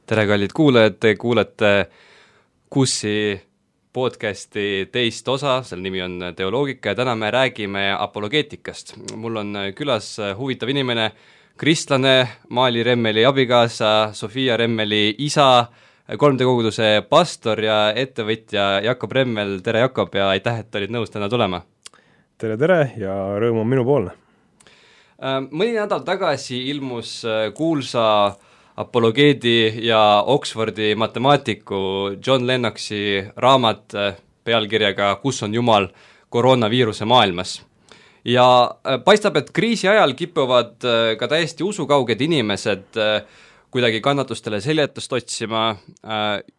tere, kallid kuulajad, te kuulete KUSi podcasti teist osa, selle nimi on Teoloogika ja täna me räägime apologeetikast. Mul on külas huvitav inimene, kristlane, Maali Remmeli abikaasa, Sofia Remmeli isa, 3D koguduse pastor ja ettevõtja Jakob Remmel. Tere Jakob ja aitäh, et olid nõus täna tulema. Tere ja rõõm on minu poolne. Mõni nädal tagasi ilmus kuulsa apologeedi ja Oxfordi matemaatiku John Lennoxi raamat pealkirjaga Kus on Jumal koroonaviiruse maailmas. Ja paistab, et kriisi ajal kipuvad ka täiesti usukauged inimesed kuidagi kannatustele seljatust otsima,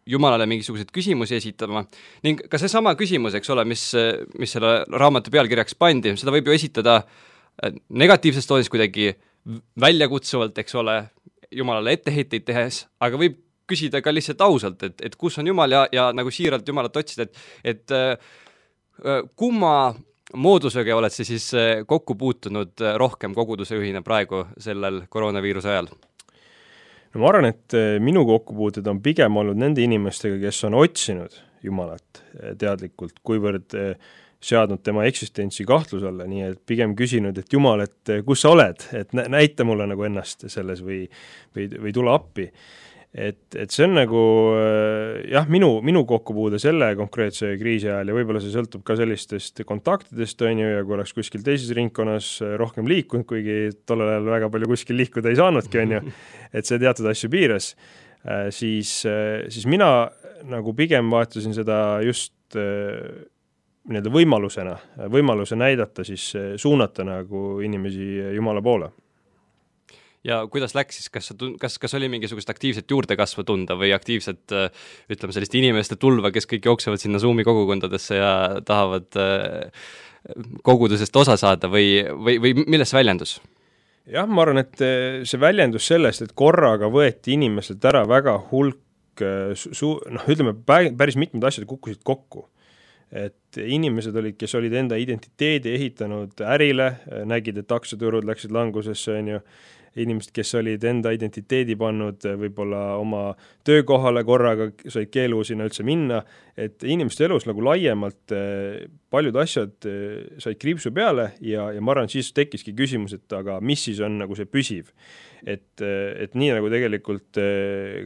Jumalale mingisuguseid küsimusi esitama ning ka seesama küsimus, eks ole, mis selle raamatu pealkirjaks pandi, seda võib ju esitada negatiivses toonis kuidagi väljakutsuvalt, eks ole, Jumalale etteheiteid tehes, aga võib küsida ka lihtsalt ausalt, et kus on Jumal ja nagu siiralt Jumalat otsida, et kumma moodusega oled sa siis kokku puutunud rohkem koguduse juhina praegu sellel koroonaviiruse ajal? No ma arvan, et minu kokkupuuted on pigem olnud nende inimestega, kes on otsinud Jumalat teadlikult, kuivõrd seadnud tema eksistentsi kahtluse alla, nii et pigem küsinud, et Jumal, et kus sa oled, et näita mulle nagu ennast selles või tule appi. Et see on nagu jah, minu kokkupuude selle konkreetse kriisi ajal ja võib-olla see sõltub ka sellistest kontaktidest, on ju, ja kui oleks kuskil teises ringkonnas rohkem liikunud, kuigi tollel ajal väga palju kuskil liikuda ei saanudki, on ju, et see teatud asju piires, siis mina nagu pigem vaatasin seda just võimaluse näidata, siis suunata nagu inimesi Jumala poole. Ja kuidas läks siis, kas oli mingisugust aktiivset juurdekasvu tunda või aktiivset, ütleme, sellist inimeste tulva, kes kõik jooksevad sinna Zoomi kogukondadesse ja tahavad kogudusest osa saada või milles väljendus? Jah, ma arvan, et see väljendus sellest, et korraga võeti inimeselt ära väga hulk, ütleme, päris mitmed asjad kukkusid kokku. Et inimesed olid, kes olid enda identiteedi ehitanud ärile, nägid, et aktsiaturud läksid langusesse, on ju, inimesed, kes olid enda identiteedi pannud võib-olla oma töökohale korraga, said keelu sinna üldse minna, et inimeste elus nagu laiemalt paljud asjad said kriipsu peale ja ma arvan, siis tekkiski küsimus, et aga mis siis on nagu see püsiv. Et nii nagu tegelikult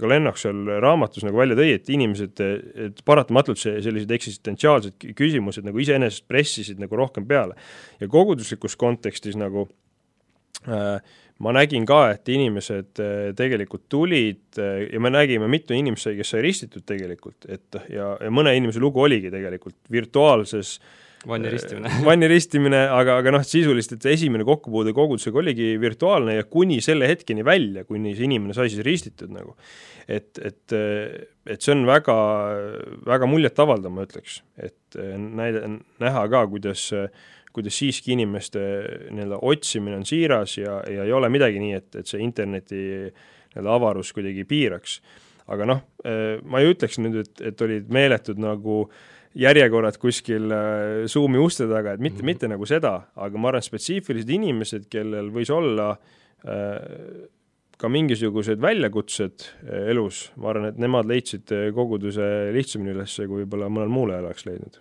ka Lennox seal raamatus nagu välja tõi, et inimesed, et paratamatult sellised eksistentsiaalsed küsimused nagu iseenesest pressisid nagu rohkem peale. Ja koguduslikus kontekstis nagu ma nägin ka, et inimesed tegelikult tulid ja me nägime mitu inimesi, kes sai ristitud tegelikult, ja mõne inimese lugu oligi tegelikult virtuaalses vanni ristimine, aga sisulist, et esimene kokkupuude kogudusega oligi virtuaalne ja kuni selle hetkeni välja, kuni see inimene sai siis ristitud nagu. Et see on väga, väga muljet avaldav, ma ütleks, et näha ka, kuidas siiski inimeste otsimine on siiras ja ei ole midagi nii, et see interneti avarus kuidagi piiraks. Aga ma ei ütleks nüüd, et olid meeletud nagu järjekorrad kuskil Zoomi uste taga, et mitte nagu seda, aga ma arvan spetsiifilised inimesed, kellel võis olla ka mingisugused väljakutsed elus, ma arvan, et nemad leidsid koguduse lihtsamini üles, kui võib-olla mõnel muule oleks leidnud.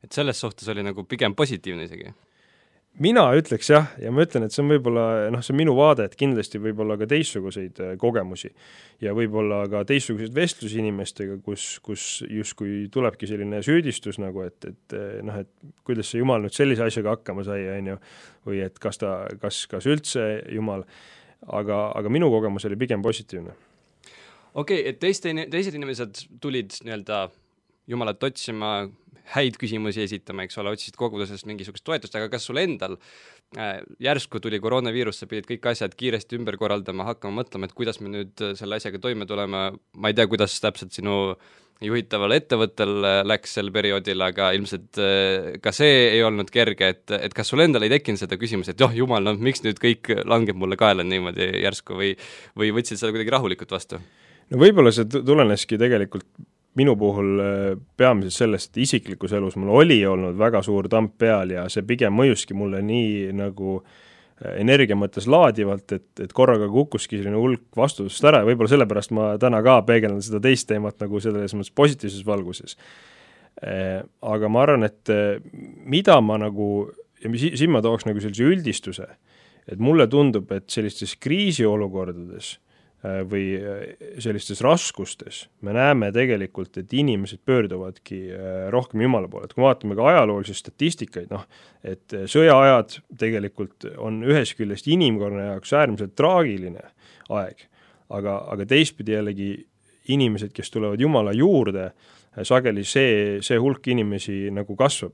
Et selles suhtes oli nagu pigem positiivne isegi? Mina ütleks jah, ja ma ütlen, et see on võib-olla, see on minu vaade, et kindlasti võib-olla ka teistsuguseid kogemusi ja võib-olla ka teistsuguseid vestlusi inimestega, kus justkui tulebki selline süüdistus nagu, et kuidas see Jumal nüüd sellise asjaga hakkama sai, on ju, või et kas üldse Jumal, aga minu kogemus oli pigem positiivne. Okei, et teised inimesed tulid nii-öelda Jumalat otsima, häid küsimusi esitama, eks ole, otsisid kogudusest mingisugust toetust, aga kas sul endal järsku tuli koroonaviirus, sa pidid kõik asjad kiiresti ümber korraldama, hakkama mõtlema, et kuidas me nüüd selle asjaga toime tulema, ma ei tea, kuidas täpselt sinu juhitaval ettevõttel läks sel perioodil, aga ilmselt ka see ei olnud kerge, et kas sul endal ei tekkinud seda küsimus, et Jumal, miks nüüd kõik langeb mulle kaela niimoodi järsku või võtsid seda kuidagi rahulikult vastu? No võib-olla see tuleneski tegelikult minu puhul peamiselt sellest, et isiklikus elus mul oli olnud väga suur tamp peal ja see pigem mõjuski mulle nii nagu energia mõttes laadivalt, et korraga kukkuski selline hulk vastutust ära ja võib-olla sellepärast ma täna ka peegeldan seda teist teemat nagu selles mõttes positiivses valguses. Aga ma arvan, et mida ma nagu, ja siin ma tooks nagu sellise üldistuse, et mulle tundub, et sellistes kriisiolukordades või sellistes raskustes me näeme tegelikult, et inimesed pöörduvadki rohkem Jumala poole. Et kui vaatame ka ajaloolisi statistikaid, et sõjaajad tegelikult on ühest küljest inimkonna jaoks äärmiselt traagiline aeg, aga teistpidi jällegi inimesed, kes tulevad Jumala juurde, sageli see hulk inimesi nagu kasvab.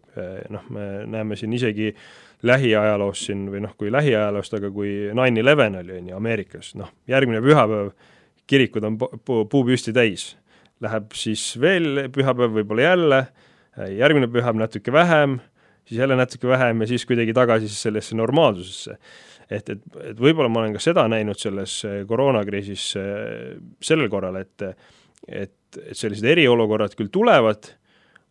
Me näeme siin isegi lähiajaloos siin, või kui lähiajaloost, aga kui 9/11 oli Ameerikas, järgmine pühapäev kirikud on puupüsti täis. Läheb siis veel pühapäev võib-olla jälle, järgmine pühapäev natuke vähem, siis jälle natuke vähem ja siis kuidagi tagasi sellesse normaalsusesse. Et võib-olla ma olen ka seda näinud selles koroonakriisis sellel korral, et sellised eriolukorrad küll tulevad,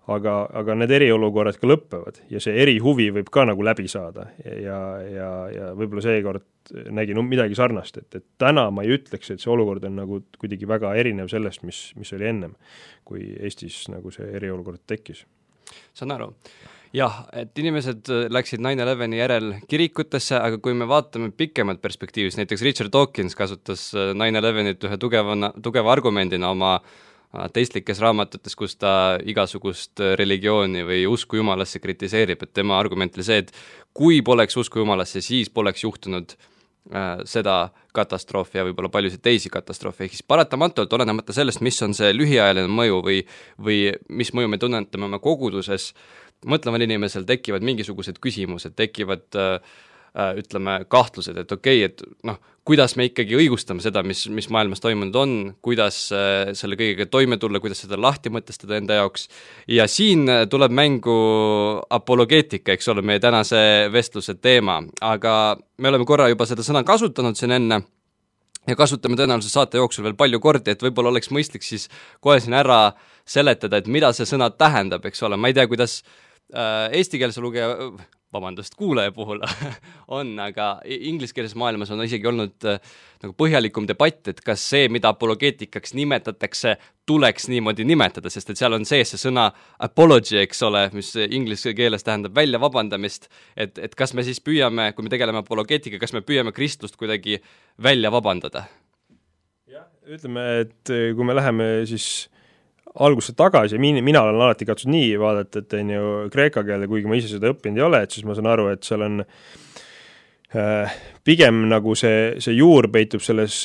aga need eriolukorrad ka lõppevad ja see erihuvi võib ka nagu läbi saada ja võib-olla seekord nägin midagi sarnast, et täna ma ei ütleks, et see olukord on nagu kuidagi väga erinev sellest, mis oli ennem, kui Eestis nagu see eriolukord tekkis. Saan aru. Jah, et inimesed läksid 9/11 järel kirikutesse, aga kui me vaatame pikemalt perspektiivis, näiteks Richard Dawkins kasutas 9/11 ühe tugeva argumendina oma teistlikes raamatutes, kus ta igasugust religiooni või usku Jumalasse kritiseerib, et tema argument oli see, et kui poleks usku Jumalasse, siis poleks juhtunud seda katastroofi ja võib-olla paljusid teisi katastroofe, ehk siis paratamatult olenemata sellest, mis on see lühiajaline mõju või mis mõju me tunnetame oma koguduses, mõtleval inimesel tekivad mingisugused küsimused, tekivad ütleme kahtlused, et okei, et kuidas me ikkagi õigustame seda, mis maailmas toimunud on, kuidas selle kõigega toime tulla, kuidas seda lahti mõtestada enda jaoks. Ja siin tuleb mängu apologeetika, eks ole, meie tänase vestluse teema, aga me oleme korra juba seda sõna kasutanud siin enne ja kasutame tõenäoliselt saate jooksul veel palju kordi, et võib-olla oleks mõistlik siis kohe siin ära seletada, et mida see sõna tähendab, eks ole, ma ei tea, kuidas eestikeelse kuulaja puhul on, aga ingliskeelses maailmas on isegi olnud nagu põhjalikum debatt, et kas see, mida apologeetikaks nimetatakse, tuleks niimoodi nimetada, sest et seal on sees see sõna apology, eks ole, mis inglise keeles tähendab välja vabandamist, et kas me siis püüame, kui me tegeleme apologeetika, kas me püüame kristlust kuidagi välja vabandada? Jah, ütleme, et kui me läheme siis algusse tagasi, mina olen alati katsunud nii vaadata, et on ju kreeka keele, kuigi ma ise seda õppinud ei ole, et siis ma saan aru, et seal on pigem nagu see juur peitub selles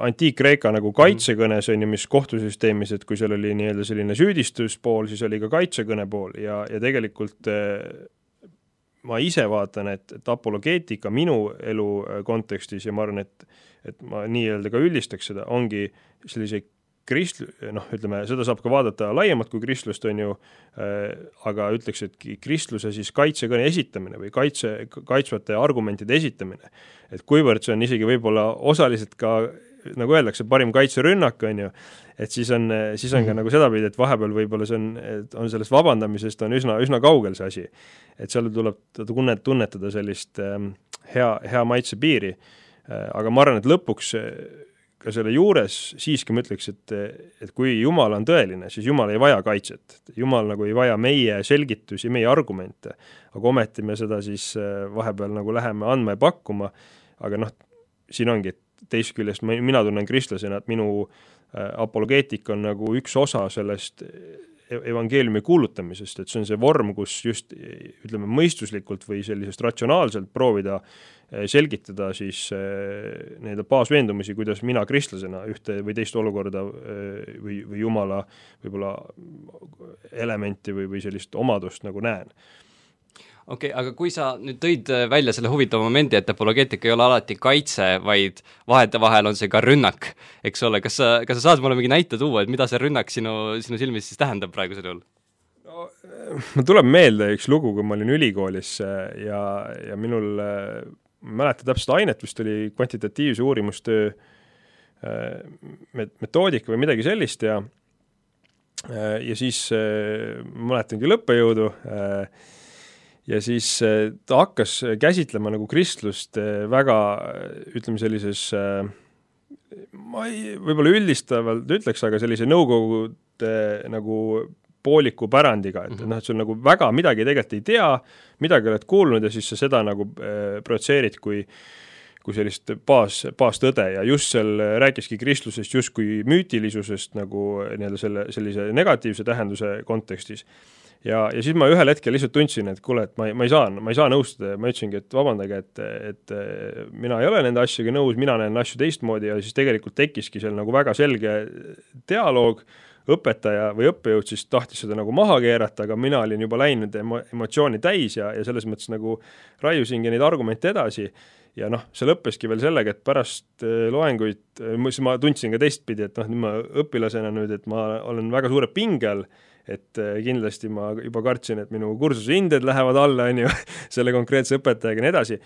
antiik-kreeka nagu kaitsekõnes, on ju, mis kohtusüsteemis, et kui seal oli nii-öelda selline süüdistuspool, siis oli ka kaitsekõne pool ja tegelikult ma ise vaatan, et apologeetika minu elu kontekstis ja ma arvan, et ma nii-öelda ka üldistaks seda, ongi sellise ütleme, seda saab ka vaadata laiemalt kui kristlust, on ju, aga ütleks, et kristluse siis kaitsekõne esitamine või kaitsvate argumentide esitamine. Et kuivõrd see on isegi võib-olla osaliselt ka, nagu öeldakse, parim kaitserünnak, on ju, et siis on ka nagu sedapidi, et vahepeal võib-olla see on sellest vabandamisest on üsna kaugel see asi. Et seal tuleb tunnetada sellist hea maitse piiri, aga ma arvan, et lõpuks ka selle juures siiski ma ütleks, et kui Jumal on tõeline, siis Jumal ei vaja kaitset. Jumal nagu ei vaja meie selgitusi, meie argumente, aga ometi me seda siis vahepeal nagu läheme andma ja pakkuma, aga siin ongi, et teist küljest mina tunnen kristlasena, et minu apologeetika on nagu üks osa sellest evangeeliumi kuulutamisest, et see on see vorm, kus just ütleme mõistuslikult või sellisest ratsionaalselt proovida selgitada siis need baasveendumusi, kuidas mina kristlasena ühte või teist olukorda või Jumala võib-olla elementi või sellist omadust nagu näen. Okei, aga kui sa nüüd tõid välja selle huvitava momendi, et apologeetika ei ole alati kaitse, vaid vahetevahel on see ka rünnak, eks ole, kas sa saad mulle mingi näite tuua, et mida see rünnak sinu silmis siis tähendab praegusel juhul? No, ma tuleb meelde üks lugu, kui ma olin ülikoolis ja minul ma mäletan täpselt ainet, vist oli kvantitatiivse uurimustöö metoodika või midagi sellist ja siis ma mäletangi lõppejõudu ja siis ta hakkas käsitlema nagu kristlust väga, ütleme sellises, ma ei, võib-olla üldistavalt ütleks, aga sellise nõukogude nagu pooliku pärandiga, et noh, et sul nagu väga midagi tegelikult ei tea, midagi oled kuulnud ja siis sa seda nagu projitseerid kui sellist baastõde ja just seal rääkiski kristlusest justkui müütilisusest nagu nii-öelda sellise negatiivse tähenduse kontekstis. Ja siis ma ühel hetkel lihtsalt tundsin, et kuule, et ma ei saa nõustuda ja ma ütlesingi, et vabandage, et mina ei ole nende asjaga nõus, mina näen asju teistmoodi ja siis tegelikult tekkiski seal nagu väga selge dialoog, õpetaja või õppejõud siis tahtis seda nagu maha keerata, aga mina olin juba läinud emotsiooni täis ja selles mõttes nagu raiusingi neid argumente edasi ja noh, see lõppeski veel sellega, et pärast loenguid, siis ma tundsin ka teistpidi, et noh, nüüd ma õpilasena nüüd, et ma olen väga suure pingel, et kindlasti ma juba kartsin, et minu kursuse hinded lähevad alla, on ju, selle konkreetse õpetajaga ja nii edasi,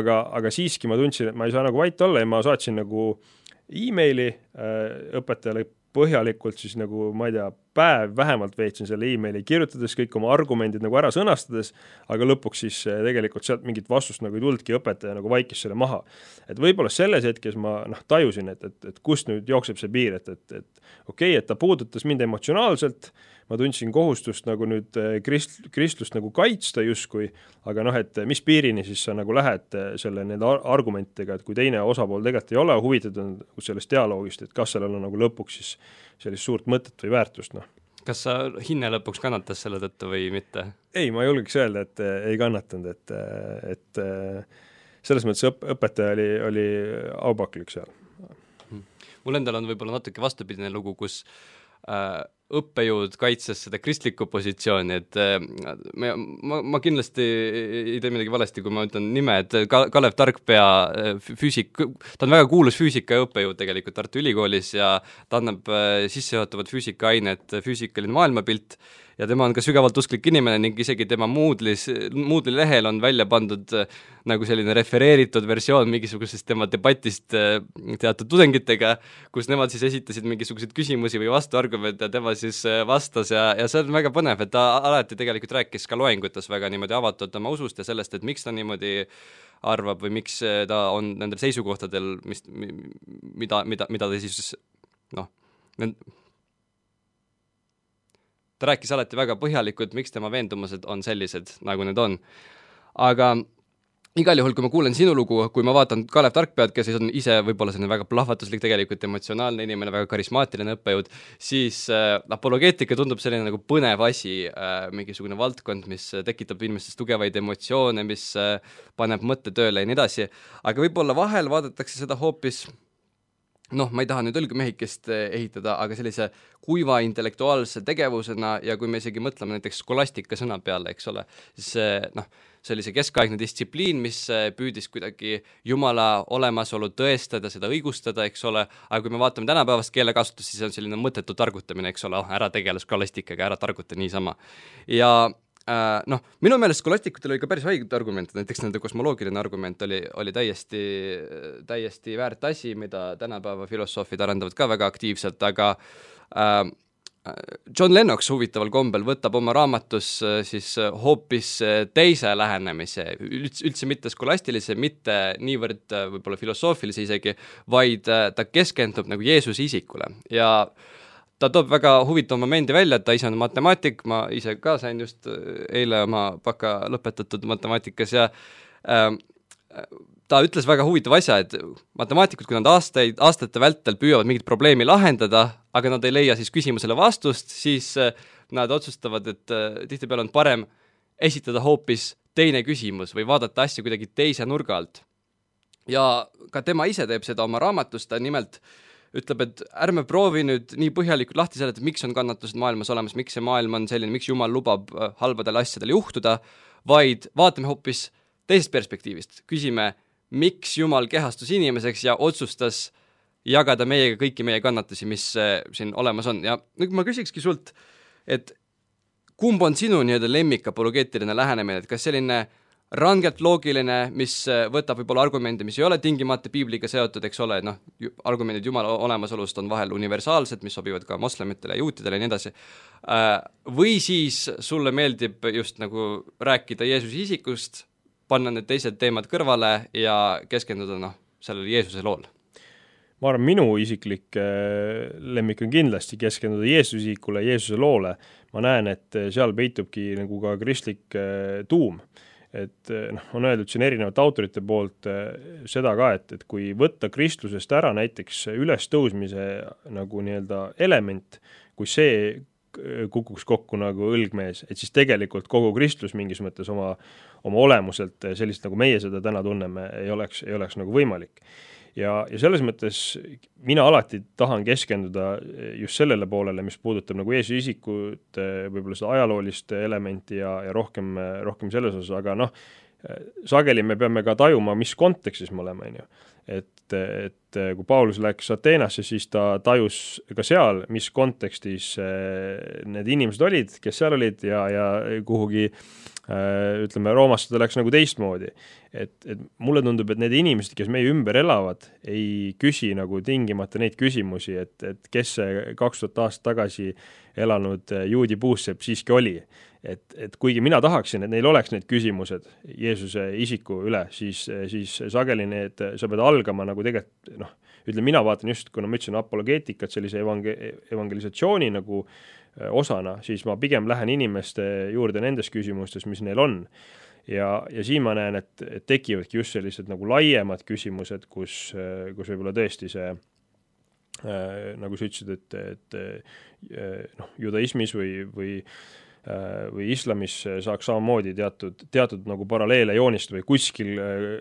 aga siiski ma tundsin, et ma ei saa nagu vait olla ja ma saatsin nagu e-maili õpetajale põhjalikult siis nagu, ma ei tea, päev vähemalt veetsin selle e-maili kirjutades, kõik oma argumendid nagu ära sõnastades, aga lõpuks siis tegelikult sealt mingit vastust nagu ei tuldki, õpetaja nagu vaikis selle maha. Et võib-olla selles hetkes ma tajusin, et kust nüüd jookseb see piir, et okei, et ta puudutas mind emotsionaalselt, ma tundsin kohustust nagu nüüd kristlust nagu kaitsta justkui, aga noh, et mis piirini siis sa nagu lähed selle nende argumentidega, et kui teine osapool tegelikult ei ole huvitatud sellest dialoogist, et kas seal on nagu lõpuks siis sellist suurt mõtet või väärtust, noh. Kas sa hinne lõpuks kannatas selle tõttu või mitte? Ei, ma julgeks öelda, et ei kannatanud, et selles mõttes õpetaja oli aupaklik seal. Mul endal on võib-olla natuke vastupidine lugu, kus õppejõud kaitses seda kristlikku positsiooni, et ma kindlasti ei tee midagi valesti, kui ma ütlen nime, et Kalev Tarkpea ta on väga kuulus füüsikaõppejõud tegelikult Tartu Ülikoolis ja ta annab sissejuhatavat füüsikaainet füüsikaline maailmapilt ja tema on ka sügavalt usklik inimene ning isegi tema Moodle'i lehel on välja pandud nagu selline refereeritud versioon mingisugusest tema debatist teatud tudengitega, kus nemad siis esitasid mingisuguseid küsimusi või vastuargumente ja tema siis vastas ja see on väga põnev, et ta alati tegelikult rääkis ka loengutes väga niimoodi avatult oma usust ja sellest, et miks ta niimoodi arvab või miks ta on nendel seisukohtadel, mida ta siis ta rääkis alati väga põhjalikult, miks tema veendumused on sellised, nagu need on. Aga igal juhul, kui ma kuulen sinu lugu, kui ma vaatan Kalev Tarkpead, kes on ise võib-olla selline väga plahvatuslik, tegelikult emotsionaalne inimene, väga karismaatiline õppejõud, siis apologeetika tundub selline nagu põnev asi, mingisugune valdkond, mis tekitab inimestes tugevaid emotsioone, mis paneb mõtte tööle ja nii edasi. Aga võib-olla vahel vaadatakse seda hoopis ma ei taha nüüd õlgmehikest ehitada, aga sellise kuiva intellektuaalse tegevusena ja kui me isegi mõtleme näiteks skolastika sõna peale, eks ole, siis see oli see keskaegne distsipliin, mis püüdis kuidagi Jumala olemasolu tõestada, seda õigustada, eks ole, aga kui me vaatame tänapäevast keelekasutust, siis see on selline mõttetu targutamine, eks ole, ära tegele skolastikaga, ära targuta niisama. Ja minu meelest skolastikutel oli ka päris haiged argumente, näiteks nende kosmoloogiline argument oli täiesti väärt asi, mida tänapäeva filosoofid arendavad ka väga aktiivselt, aga John Lennox huvitaval kombel võtab oma raamatus siis hoopis teise lähenemise, üldse mitte skolastilise, mitte niivõrd võib-olla filosoofilise isegi, vaid ta keskendub nagu Jeesuse isikule ja ta toob väga huvitava momendi välja, et ta ise on matemaatik, ma ise ka sain just eile oma baka lõpetatud matemaatikas ja ta ütles väga huvitava asja, et matemaatikud, kui nad aastate vältel püüavad mingit probleemi lahendada, aga nad ei leia siis küsimusele vastust, siis nad otsustavad, et tihtipeale on parem esitada hoopis teine küsimus või vaadata asja kuidagi teise nurga alt. Ja ka tema ise teeb seda oma raamatus, ta nimelt ütleb, et ärme proovi nüüd nii põhjalikult lahti seletada, miks on kannatused maailmas olemas, miks see maailm on selline, miks Jumal lubab halbadel asjadel juhtuda, vaid vaatame hoopis teisest perspektiivist. Küsime, miks Jumal kehastus inimeseks ja otsustas jagada meiega kõiki meie kannatusi, mis siin olemas on. Ja nüüd ma küsikski sult, et kumb on sinu nii-öelda lemmik apologeetiline lähenemine, et kas selline rangelt loogiline, mis võtab võib-olla argumente, mis ei ole tingimata piibliga seotud, eks ole, noh, argumendid Jumala olemasolust on vahel universaalsed, mis sobivad ka moslemitele, juutidele ja nii edasi, või siis sulle meeldib just nagu rääkida Jeesuse isikust, panna need teised teemad kõrvale ja keskenduda sellele Jeesuse loole? Ma arvan, minu isiklik lemmik on kindlasti keskenduda Jeesuse isikule, Jeesuse loole. Ma näen, et seal peitubki nagu ka kristlik tuum. Et on öeldud siin erinevate autorite poolt seda ka, et kui võtta kristlusest ära näiteks ülestõusmise nagu nii-öelda element, kui see kukuks kokku nagu õlgmees, et siis tegelikult kogu kristlus mingis mõttes oma olemuselt sellist, nagu meie seda täna tunneme, ei oleks nagu võimalik. Ja selles mõttes mina alati tahan keskenduda just sellele poolele, mis puudutab nagu Jeesuse isikut, võib-olla seda ajaloolist elementi ja rohkem selles osas, aga sageli me peame ka tajuma, mis kontekstis me oleme, on ju. Et kui Paulus läks Ateenasse, siis ta tajus ka seal, mis kontekstis need inimesed olid, kes seal olid ja kuhugi ütleme, Roomast ta läks nagu teistmoodi. Et mulle tundub, et need inimesed, kes meie ümber elavad, ei küsi nagu tingimata neid küsimusi, et kes see 2000 aastat tagasi elanud juudi puussepp siiski oli. Et kuigi mina tahaksin, et neil oleks need küsimused Jeesuse isiku üle, siis sageli need, sa pead algama nagu tegelikult, ütleme, mina vaatan just, kuna ma ütlesin apologeetikat sellise evangelisatsiooni nagu osana, siis ma pigem lähen inimeste juurde nendes küsimustes, mis neil on. Ja siin ma näen, et tekivadki just sellised nagu laiemad küsimused, kus võib-olla tõesti see, nagu sa ütlesid, et judaismis või islamis saaks samamoodi teatud nagu paralleele joonist või kuskil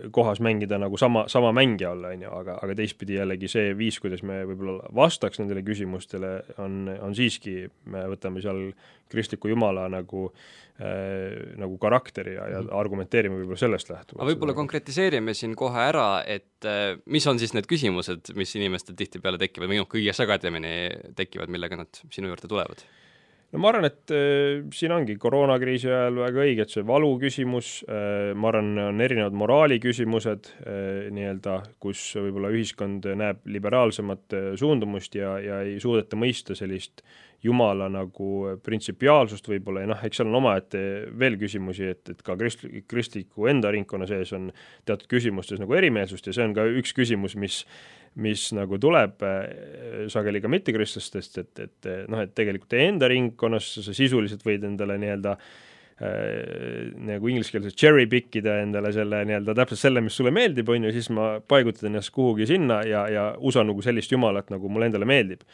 kohas mängida nagu sama mängija olla, aga teistpidi jällegi see viis, kuidas me võib-olla vastaks nendele küsimustele, on siiski, me võtame seal kristliku Jumala nagu karakteri ja argumenteerime võib-olla sellest lähtuvalt. Aga võib-olla konkretiseerime siin kohe ära, et mis on siis need küsimused, mis inimestel tihtipeale tekivad või kõige sagedamini tekivad, millega nad sinu juurde tulevad? No ma arvan, et siin ongi koroonakriisi ajal väga õige, et see valu küsimus, ma arvan, on erinevad moraali küsimused, nii-öelda, kus võib-olla ühiskond näeb liberaalsemat suundumust ja ei suudeta mõista sellist Jumala nagu printsipiaalsust võib-olla ja eks seal on omaette veel küsimusi, et ka kristliku enda ringkonna sees on teatud küsimustes nagu erimeelsust ja see on ka üks küsimus, mis nagu tuleb sageli ka mittekristlastest, et tegelikult teie enda ringkonnas sa sisuliselt võid endale nii-öelda nagu ingliskeelses cherry pickida endale selle nii-öelda täpselt selle, mis sulle meeldib, on ju, siis ma paigutan ennast kuhugi sinna ja usun nagu sellist Jumalat, nagu mulle endale meeldib.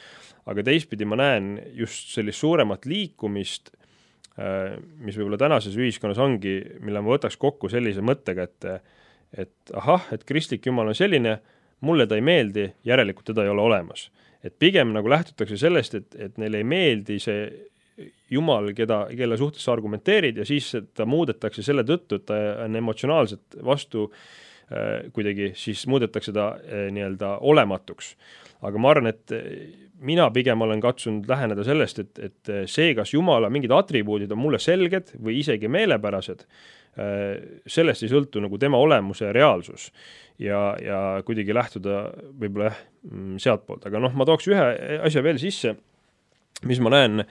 Aga teistpidi ma näen just sellist suuremat liikumist, mis võib-olla tänases ühiskonnas ongi, mille ma võtaks kokku sellise mõttega, et et kristlik Jumal on selline, mulle ta ei meeldi, järelikult teda ei ole olemas. Et pigem nagu lähtutakse sellest, et neile ei meeldi see Jumal, kelle suhtes sa argumenteerid ja siis ta muudetakse selle tõttu, et ta on emotsionaalselt vastu kuidagi, siis muudetakse ta nii-öelda olematuks. Aga ma arvan, et mina pigem olen katsunud läheneda sellest, et see, kas Jumala mingid atribuudid on mulle selged või isegi meelepärased, sellest ei sõltu nagu tema olemuse reaalsus ja kuidagi lähtuda võib-olla sealt poolt. Aga ma tooks ühe asja veel sisse, mis ma näen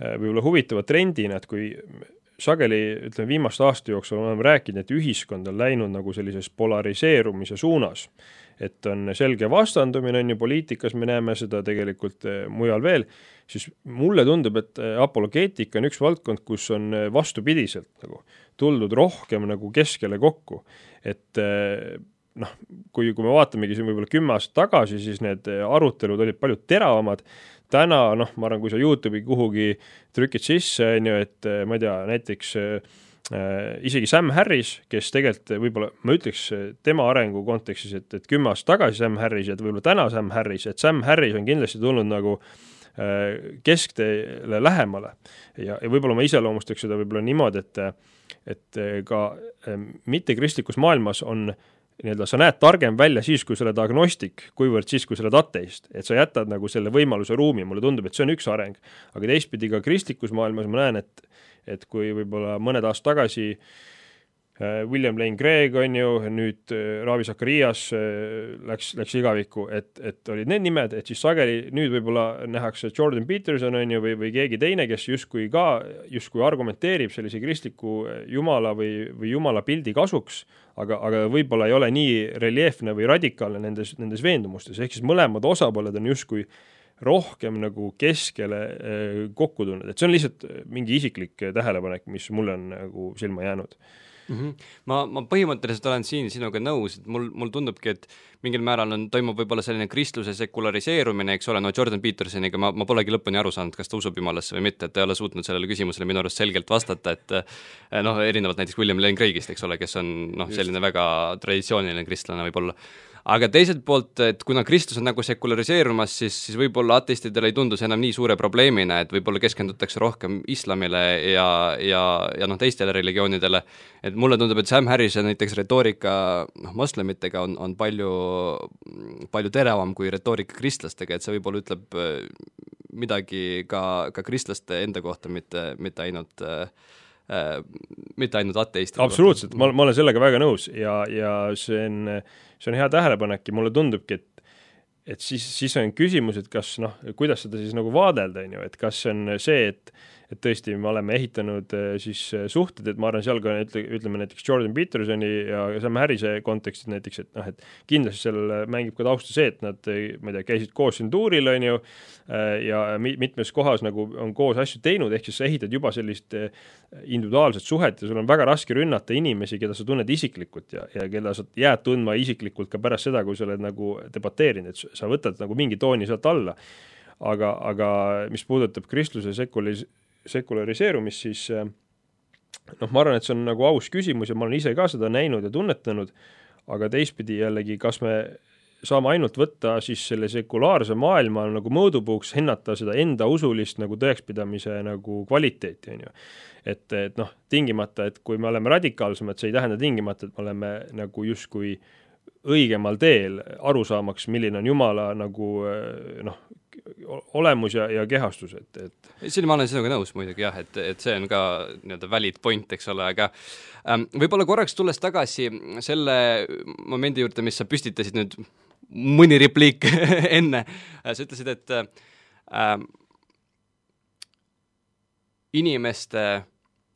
võib-olla huvitava trendina, et kui sageli, ütleme, viimaste aasta jooksul oleme rääkinud, et ühiskond on läinud nagu sellises polariseerumise suunas, et on selge vastandumine, on ju poliitikas, me näeme seda tegelikult mujal veel, siis mulle tundub, et apologeetika on üks valdkond, kus on vastupidiselt nagu tuldud rohkem nagu keskele kokku, et kui me vaatamegi siin võib-olla 10 aastat tagasi, siis need arutelud olid palju teravamad. Täna, ma arvan, kui sa YouTube'i kuhugi trükid sisse, on ju, et ma ei tea, näiteks isegi Sam Harris, kes tegelikult võib-olla, ma ütleks tema arengu kontekstis, et 10 aastat tagasi Sam Harris ja võib-olla täna Sam Harris, et Sam Harris on kindlasti tulnud nagu keskteele lähemale ja võib-olla ma iseloomustaks seda võib-olla niimoodi, et ka mittekristlikus maailmas on nii-öelda sa näed targem välja siis, kui sa oled agnostik, kuivõrd siis, kui sa oled ateist. Et sa jätad nagu selle võimaluse ruumi, mulle tundub, et see on üks areng. Aga teistpidi ka kristlikus maailmas ma näen, et kui võib-olla mõned aastad tagasi William Lane Craig on ju, nüüd Ravi Zacharias läks igavikku, et olid need nimed, et siis sageli nüüd võib-olla nähakse Jordan Peterson on ju või keegi teine, kes justkui argumenteerib sellise kristliku jumala või jumala pildi kasuks, aga võib-olla ei ole nii reljeefne või radikaalne nendes veendumustes, ehk siis mõlemad osapooled on justkui rohkem nagu keskele kokku tulnud, et see on lihtsalt mingi isiklik tähelepanek, mis mulle on nagu silma jäänud. Ma põhimõtteliselt olen siin sinuga nõus, et mul tundubki, et mingil määral toimub võib-olla selline kristluse sekulariseerumine, eks ole, no Jordan Petersoniga ma polegi lõpuni aru saanud, kas ta usub jumalasse või mitte, et ta ei ole suutnud sellele küsimusele minu arust selgelt vastata, et erinevalt näiteks William Lane Craigist, eks ole, kes on selline väga traditsiooniline kristlane võib-olla. Aga teiselt poolt, et kuna kristlus on nagu sekulariseerumas, siis võib-olla ateistidele ei tundu see enam nii suure probleemina, et võib-olla keskendutakse rohkem islamile ja teistele religioonidele. Et mulle tundub, et Sam Harrise näiteks retoorika moslemitega on palju teravam kui retoorika kristlastega, et see võib-olla ütleb midagi ka kristlaste enda kohta, mitte ainult ateistide. Absoluutselt, ma olen sellega väga nõus ja see on hea tähelepanek ja mulle tundubki, et siis on küsimus, et kas kuidas seda siis nagu vaadelda, on ju, et kas see on see, et tõesti me oleme ehitanud siis suhted, et ma arvan, seal ka ütleme näiteks Jordan Petersoni ja Sam Harrise kontekstis näiteks, et kindlasti seal mängib ka tausta see, et nad, ma ei tea, käisid koos siin tuuril, on ju, ja mitmes kohas nagu on koos asju teinud, ehk siis sa ehitad juba sellist individuaalset suhet ja sul on väga raske rünnata inimesi, keda sa tunned isiklikult ja keda sa jääd tundma isiklikult ka pärast seda, kui sa oled nagu debateerinud, et sa võtad nagu mingi tooni sealt alla. Aga mis puudutab kristluse sekulariseerumist, siis ma arvan, et see on nagu aus küsimus ja ma olen ise ka seda näinud ja tunnetanud, aga teistpidi jällegi, kas me saame ainult võtta siis selle sekulaarse maailma nagu mõõdupuuks, hinnata seda enda usulist nagu tõekspidamise nagu kvaliteeti, on ju. Et tingimata, et kui me oleme radikaalsemad, see ei tähenda tingimata, et me oleme nagu justkui õigemal teel aru saamaks, milline on Jumala nagu olemus ja kehastus, et siin ma olen sinuga nõus muidugi jah, et see on ka nii-öelda valid point, eks ole, aga võib-olla korraks tulles tagasi selle momendi juurde, mis sa püstitasid nüüd mõni repliik enne, sa ütlesid, et inimeste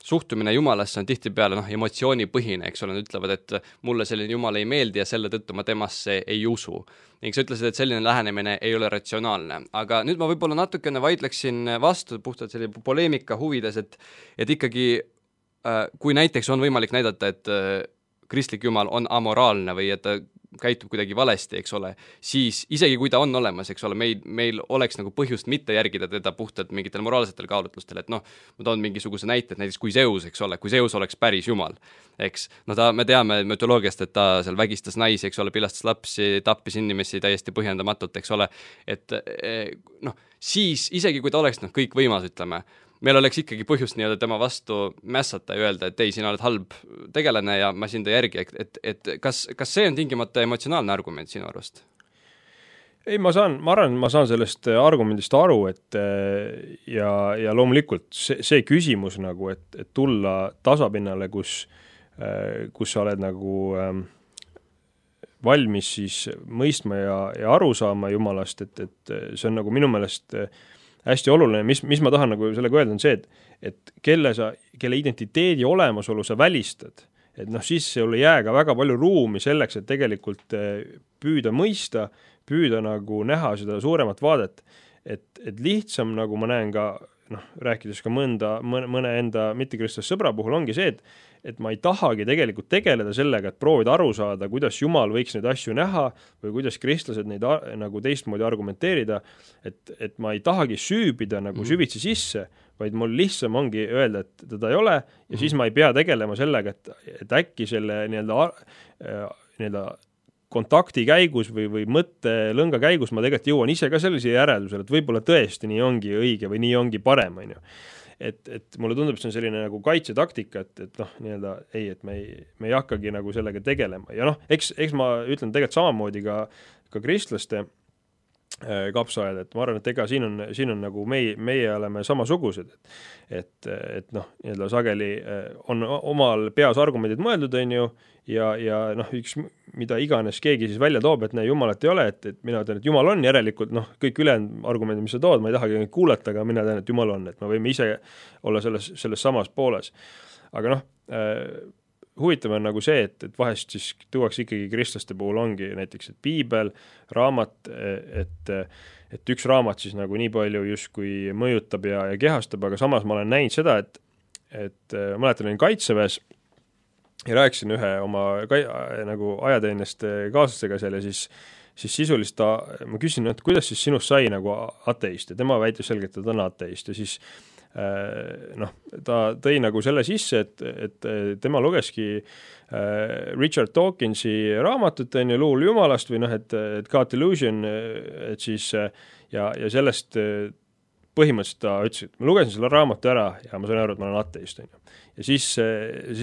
suhtumine Jumalasse on tihtipeale emotsioonipõhine, eks ole, nad ütlevad, et mulle selline Jumal ei meeldi ja selle tõttu ma temasse ei usu. Ning sa ütlesid, et selline lähenemine ei ole ratsionaalne. Aga nüüd ma võib-olla natukene vaidleksin vastu puhtalt selline poleemika huvides, et ikkagi kui näiteks on võimalik näidata, et kristlik Jumal on amoraalne või et ta käitub kuidagi valesti, eks ole, siis isegi kui ta on olemas, eks ole, meil oleks nagu põhjust mitte järgida teda puhtalt mingitel moraalsetel kaalutlustel, et ma toon mingisuguse näite, et näiteks kui Zeus, eks ole, kui Zeus oleks päris Jumal, eks, me teame mütoloogiast, et ta seal vägistas naisi, eks ole, pilastas lapsi, tappis inimesi täiesti põhjendamatult, eks ole, et siis isegi kui ta oleks kõik võimas, ütleme, meil oleks ikkagi põhjust nii-öelda tema vastu mässata ja öelda, et ei, sina oled halb tegelane ja ma sind ei järgi, et kas see on tingimata emotsionaalne argument sinu arust? Ei, ma arvan, ma saan sellest argumendist aru, et ja loomulikult see küsimus nagu, et tulla tasapinnale, kus sa oled nagu valmis siis mõistma ja aru saama Jumalast, et see on nagu minu meelest hästi oluline, mis ma tahan nagu sellega öelda, on see, et kelle identiteedi olemasolu sa välistad, et siis sul ei jää ka väga palju ruumi selleks, et tegelikult püüda mõista, püüda nagu näha seda suuremat vaadet, et lihtsam, nagu ma näen ka, rääkides ka mõne enda mittekristlaste sõbra puhul, ongi see, et ma ei tahagi tegelikult tegeleda sellega, et proovida aru saada, kuidas Jumal võiks neid asju näha või kuidas kristlased neid nagu teistmoodi argumenteerida, et ma ei tahagi süübida nagu süvitsi sisse, vaid mul lihtsam ongi öelda, et teda ei ole ja siis ma ei pea tegelema sellega, et äkki selle nii-öelda kontakti käigus või mõttelõnga käigus ma tegelikult jõuan ise ka sellise järeldusele, et võib-olla tõesti nii ongi õige või nii ongi parem, on ju. Et mulle tundub, see on selline nagu kaitsetaktika, et nii-öelda ei, et me ei hakkagi nagu sellega tegelema. Ja eks ma ütlen tegelikult samamoodi ka kristlaste kapsaaed, et ma arvan, et ega siin on nagu meie oleme samasugused, et noh, nii-öelda sageli on omal peas argumendid mõeldud, on ju, ja noh, üks, mida iganes keegi siis välja toob, et jumalat ei ole, et mina ütlen, et jumal on, järelikult noh, kõik ülejäänud argumendid, mis sa tood, ma ei tahagi kuulata, aga mina tean, et jumal on, et me võime ise olla selles samas pooles. Aga noh, huvitav on nagu see, et vahest siis tuuakse ikkagi kristlaste puhul ongi näiteks, et piibel, raamat, et üks raamat siis nagu nii palju justkui mõjutab ja kehastab, aga samas ma olen näinud seda, et mäletan, olin Kaitseväes ja rääkisin ühe oma nagu ajateenest kaaslasega seal ja siis sisulist ma küsin, et kuidas siis sinust sai nagu ateist ja tema väitis selgelt, et ta on ateist ja siis noh, ta tõi nagu selle sisse, et tema lugeski Richard Dawkinsi raamatut, on ju, Luul Jumalast või noh, et God Illusion, et siis ja sellest põhimõtteliselt ta ütles, et ma lugesin selle raamatu ära ja ma sain aru, et ma olen ateist, on ju. Ja siis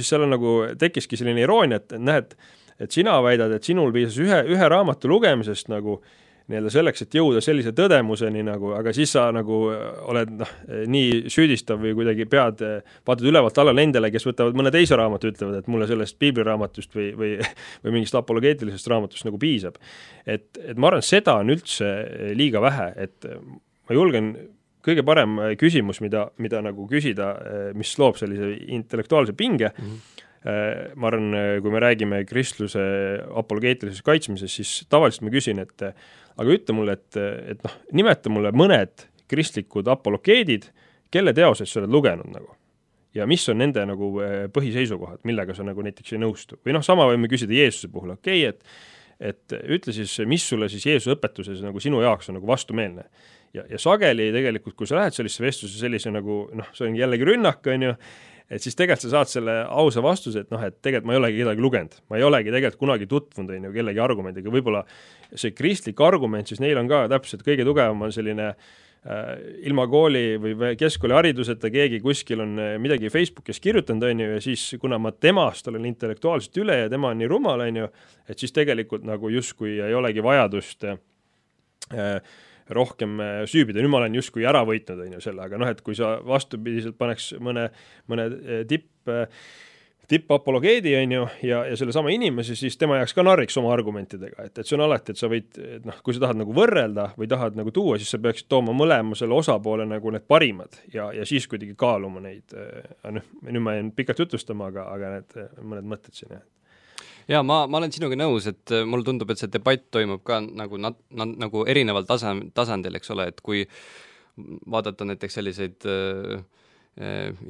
seal on nagu tekkiski selline iroonia, et näed, et sina väidad, et sinul piisas ühe raamatu lugemisest nagu nii-öelda selleks, et jõuda sellise tõdemuseni nagu, aga siis sa nagu oled nii süüdistav või kuidagi vaatad ülevalt alla nendele, kes võtavad mõne teise raamatu, ütlevad, et mulle sellest piibliraamatust või mingist apologeetilisest raamatust nagu piisab. Et ma arvan, seda on üldse liiga vähe, et ma julgen kõige parem küsimus, mida nagu küsida, mis loob sellise intellektuaalse pinge, ma arvan, kui me räägime kristluse apologeetilisest kaitsmisest, siis tavaliselt ma küsin, et aga ütle mulle, et noh, nimeta mulle mõned kristlikud apologeedid, kelle teoseid sa oled lugenud nagu. Ja mis on nende nagu põhiseisukohad, millega sa nagu näiteks ei nõustu. Või noh, sama võime küsida Jeesuse puhul, okei, et ütle siis, mis sulle siis Jeesuse õpetuses nagu sinu jaoks on nagu vastumeelne. Ja sageli tegelikult, kui sa lähed sellise vestluse sellise nagu, noh, see on jällegi rünnak, on ju, et siis tegelikult sa saad selle ausa vastuse, et noh, et tegelikult ma ei olegi kedagi lugenud. Ma ei olegi tegelikult kunagi tutvunud on ju kellegi argumendiga. Võib-olla see kristlik argument, siis neil on ka täpselt kõige tugevam on selline ilma kooli või keskkooli hariduseta keegi kuskil on midagi Facebookis kirjutanud, on ju, ja siis kuna ma temast olen intellektuaalselt üle ja tema on nii rumal, on ju, et siis tegelikult nagu justkui ei olegi vajadust rohkem süübida, nüüd ma olen justkui ära võitnud, on ju selle, aga noh, et kui sa vastupidiselt paneks mõne tipp-apologeedi, on ju, ja selle sama inimese, siis tema jääks ka narriks oma argumentidega, et see on alati, et sa võid, et noh, kui sa tahad nagu võrrelda või tahad nagu tuua, siis sa peaksid tooma mõlema selle osapoole nagu need parimad ja siis kuidagi kaaluma neid, nüüd ma jään pikalt jutustama, aga need mõned mõtted siin, jah. Jaa, ma olen sinuga nõus, et mulle tundub, et see debatt toimub ka nagu erineval tasandil, eks ole, et kui vaadata näiteks selliseid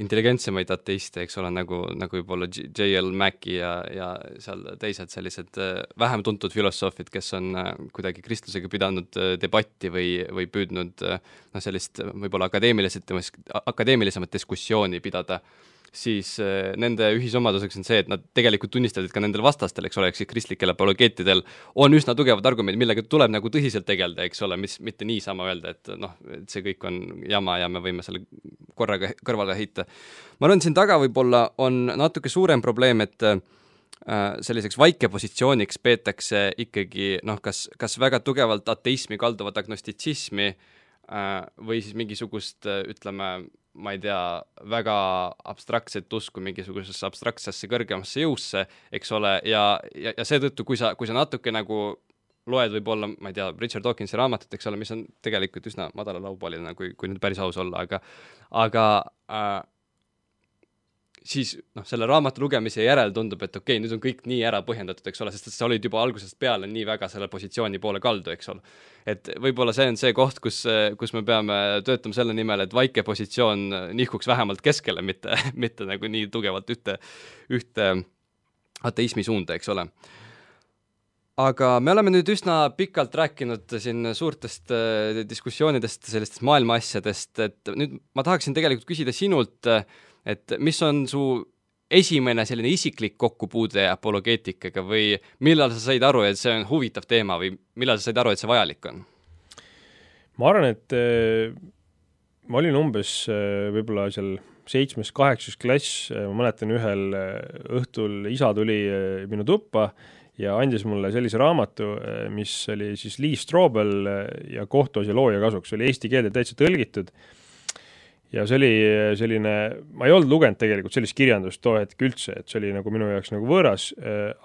intelligentsemaid ateiste, eks ole, nagu võib-olla J.L. Mackie ja seal teised sellised vähem tuntud filosoofid, kes on kuidagi kristlusega pidanud debatti või püüdnud sellist võib-olla akadeemilisemat diskussiooni pidada, siis nende ühisomaduseks on see, et nad tegelikult tunnistavad, et ka nendel vastastel, eks ole, eks kristlikel apologeetidel on üsna tugevad argumendid, millega tuleb nagu tõsiselt tegelda, eks ole, mis mitte niisama öelda, et noh, et see kõik on jama ja me võime selle korraga kõrvale heita. Ma arvan, siin taga võib-olla on natuke suurem probleem, et selliseks vaikepositsiooniks peetakse ikkagi noh, kas väga tugevalt ateismi kalduvat agnostitsismi või siis mingisugust, ütleme, ma ei tea, väga abstraktset usku mingisugusesse abstraktsesse kõrgemasse jõusse, eks ole, ja seetõttu, kui sa natuke nagu loed võib-olla, ma ei tea, Richard Dawkinsi raamatut, eks ole, mis on tegelikult üsna madala laubaline, kui nüüd päris aus olla, aga siis noh, selle raamatu lugemise järel tundub, et okei, nüüd on kõik nii ära põhjendatud, eks ole, sest sa olid juba algusest peale nii väga selle positsiooni poole kaldu, eks ole. Et võib-olla see on see koht, kus me peame töötama selle nimel, et vaike positsioon nihkuks vähemalt keskele, mitte nagu nii tugevalt ühte ateismi suunda, eks ole. Aga me oleme nüüd üsna pikalt rääkinud siin suurtest diskussioonidest, sellistest maailma asjadest, et nüüd ma tahaksin tegelikult küsida sinult, et mis on su esimene selline isiklik kokkupuude apologeetikaga või millal sa said aru, et see on huvitav teema või millal sa said aru, et see vajalik on? Ma arvan, et ma olin umbes võib-olla seal 7.-8. klass, ma mäletan ühel õhtul isa tuli minu tuppa ja andis mulle sellise raamatu, mis oli siis Lee Strobel ja kohtuasja looja kasuks, oli eesti keelde täitsa tõlgitud ja see oli selline, ma ei olnud lugenud tegelikult sellist kirjandust too hetk üldse, et see oli nagu minu jaoks nagu võõras,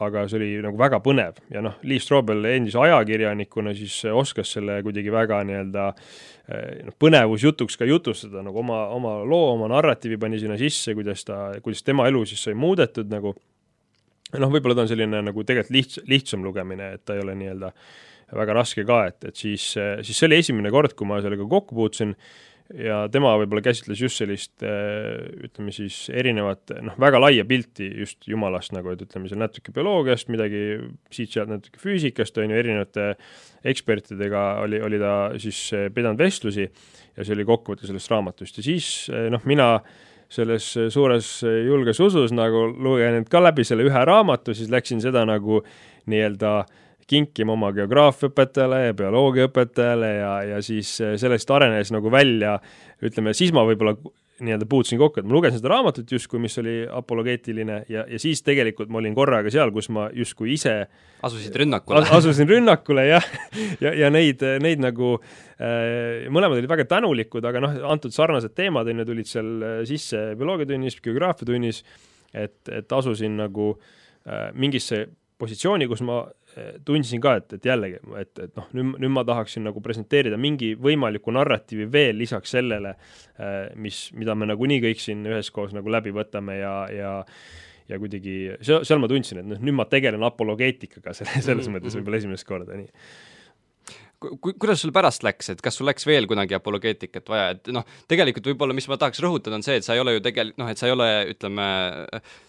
aga see oli nagu väga põnev ja noh, Lee Strobel endise ajakirjanikuna siis oskas selle kuidagi väga nii-öelda põnevusjutuks ka jutustada, nagu oma loo, oma narratiivi pani sinna sisse, kuidas tema elu siis sai muudetud nagu, noh, võib-olla ta on selline nagu tegelikult lihtsam lugemine, et ta ei ole nii-öelda väga raske ka, et siis see oli esimene kord, kui ma sellega kokku puutusin ja tema võib-olla käsitles just sellist, ütleme siis erinevat, noh, väga laia pilti just Jumalast, nagu et ütleme seal natuke bioloogiast, midagi siit-sealt natuke füüsikast, on ju, erinevate ekspertidega oli ta siis pidanud vestlusi ja see oli kokkuvõte sellest raamatust ja siis, noh, mina selles suures julges usus nagu lugenud ka läbi selle ühe raamatu, siis läksin seda nagu nii-öelda kinkima oma geograafiaõpetajale ja bioloogiaõpetajale ja siis sellest arenes nagu välja, ütleme, siis ma võib-olla nii-öelda puutusin kokku, et ma lugesin seda raamatut justkui, mis oli apologeetiline ja siis tegelikult ma olin korraga seal, kus ma justkui ise asusin rünnakule ja neid nagu mõlemad olid väga tänulikud, aga noh, antud sarnased teemad tulid seal sisse bioloogiatunnis, geograafiatunnis, et asusin nagu mingisse positsiooni, kus ma tundsin ka, et jällegi, et noh, nüüd ma tahaksin nagu presenteerida mingi võimaliku narratiivi veel lisaks sellele, mida me nagunii kõik siin üheskoos nagu läbi võtame ja kuidagi, seal ma tundsin, et nüüd ma tegelen apologeetikaga selles mõttes võib-olla esimest korda, nii. Kuidas sul pärast läks, et kas sul läks veel kunagi apologeetikat vaja, et noh, tegelikult võib-olla, mis ma tahaks rõhutada, on see, et sa ei ole ju noh, et sa ei ole, ütleme,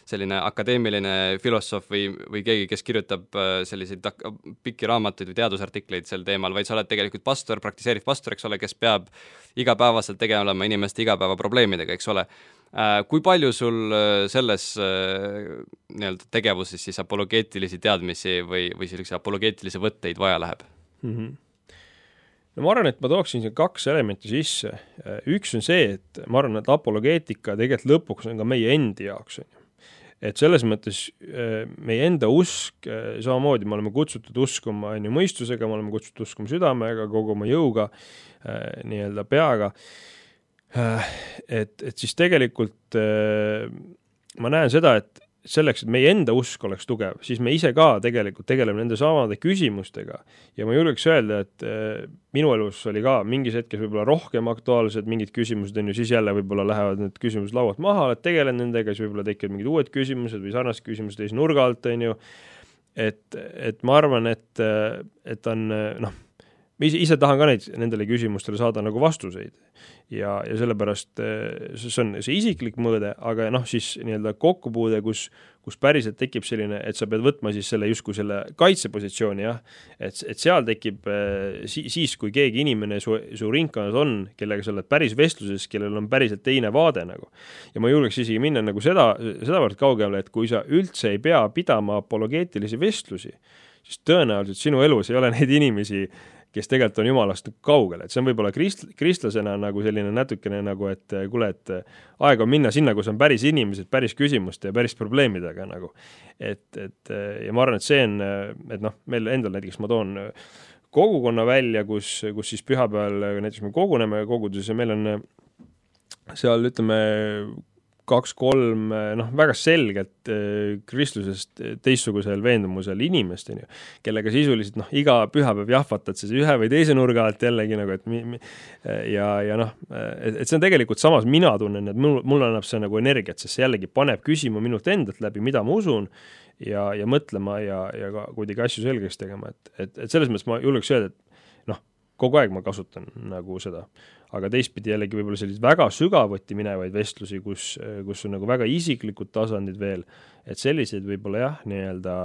selline akadeemiline filosoof või keegi, kes kirjutab selliseid pikki raamatuid või teadusartikleid sel teemal, vaid sa oled tegelikult pastor, praktiseeriv pastor, eks ole, kes peab igapäevaselt tegelema inimeste igapäevaprobleemidega, eks ole. Kui palju sul selles nii-öelda tegevuses siis apologeetilisi teadmisi või sellise apologeetilisi võtteid vaja läheb? No ma arvan, et ma tooksin siin 2 elementi sisse. Üks on see, et ma arvan, et apologaatika tegelikult lõpuks on ka meie endi jaoks. Et selles mõttes meie enda usk, samamoodi me oleme kutsutud uskuma mõistusega, me oleme kutsutud uskuma südamega, kogu oma jõuga, nii-öelda peaga. Et siis tegelikult ma näen seda, et selleks, et meie enda usk oleks tugev, siis me ise ka tegelikult tegeleme nende samade küsimustega ja ma julgeks öelda, et minu elus oli ka mingis hetkes võib-olla rohkem aktuaalsed mingid küsimused, siis jälle võib-olla lähevad need küsimused laualt maha, et tegelen nendega, siis võib-olla tekivad mingid uued küsimused või sarnased küsimused teise nurga alt, et ma arvan, et on, noh, ma ise tahan ka nendele küsimustele saada nagu vastuseid ja sellepärast see on see isiklik mõõde, aga noh, siis nii-öelda kokkupuude, kus päriselt tekib selline, et sa pead võtma siis selle justkui selle kaitsepositsiooni, jah, et seal tekib siis, kui keegi inimene su ringkonnas on, kellega sa oled päris vestluses, kellel on päriselt teine vaade nagu. Ja ma julgeks isegi minna nagu sedavõrd kaugele, et kui sa üldse ei pea pidama apologeetilisi vestlusi, siis tõenäoliselt sinu elus ei ole neid inimesi, kes tegelikult on Jumalast kaugel, et see on võib-olla kristlasena nagu selline natukene nagu, et kuule, et aeg on minna sinna, kus on päris inimesed, päris küsimuste ja päris probleemidega nagu. Ja ma arvan, et see on, et noh, meil endal näiteks ma toon kogukonna välja, kus siis pühapäeval näiteks me koguneme koguduses ja meil on seal, ütleme, 2-3 väga selgelt kristlusest teistsugusel veendumusel inimest, kellega sisuliselt iga pühapäev jahvatad siis ühe või teise nurga alt jällegi nagu, et see on tegelikult samas mina tunnen, et mul annab see nagu energiat, sest see jällegi paneb küsima minult endalt läbi, mida ma usun ja mõtlema ja ka kuidagi asju selgeks tegema, et selles mõttes ma julgeks öelda, et kogu aeg ma kasutan nagu seda, aga teistpidi jällegi võib-olla sellised väga sügavuti minevaid vestlusi, kus on nagu väga isiklikud tasandid veel, et selliseid võib-olla jah, nii-öelda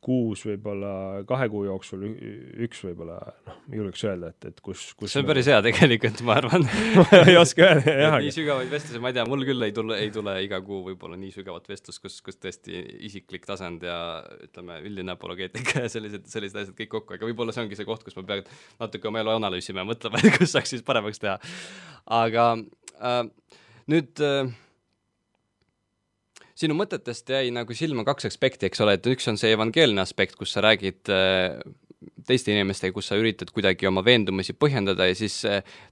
6 võib-olla 2 kuu jooksul üks võib-olla, julgeks öelda, et kus see on päris hea tegelikult, ma arvan. ei oska öelda, jah. Nii sügavaid vestlusi, ma ei tea, mul küll ei tule iga kuu võib-olla nii sügavat vestlus, kus tõesti isiklik tasand ja ütleme, üldine apologeetika ja sellised asjad kõik kokku, aga võib-olla see ongi see koht, kus ma pean natuke oma elu analüüsima ja mõtlema, et kus saaks siis paremaks teha. Aga nüüd sinu mõtetest jäi nagu silma kaks aspekti, eks ole, et üks on see evangeelne aspekt, kus sa räägid teiste inimestega, kus sa üritad kuidagi oma veendumusi põhjendada ja siis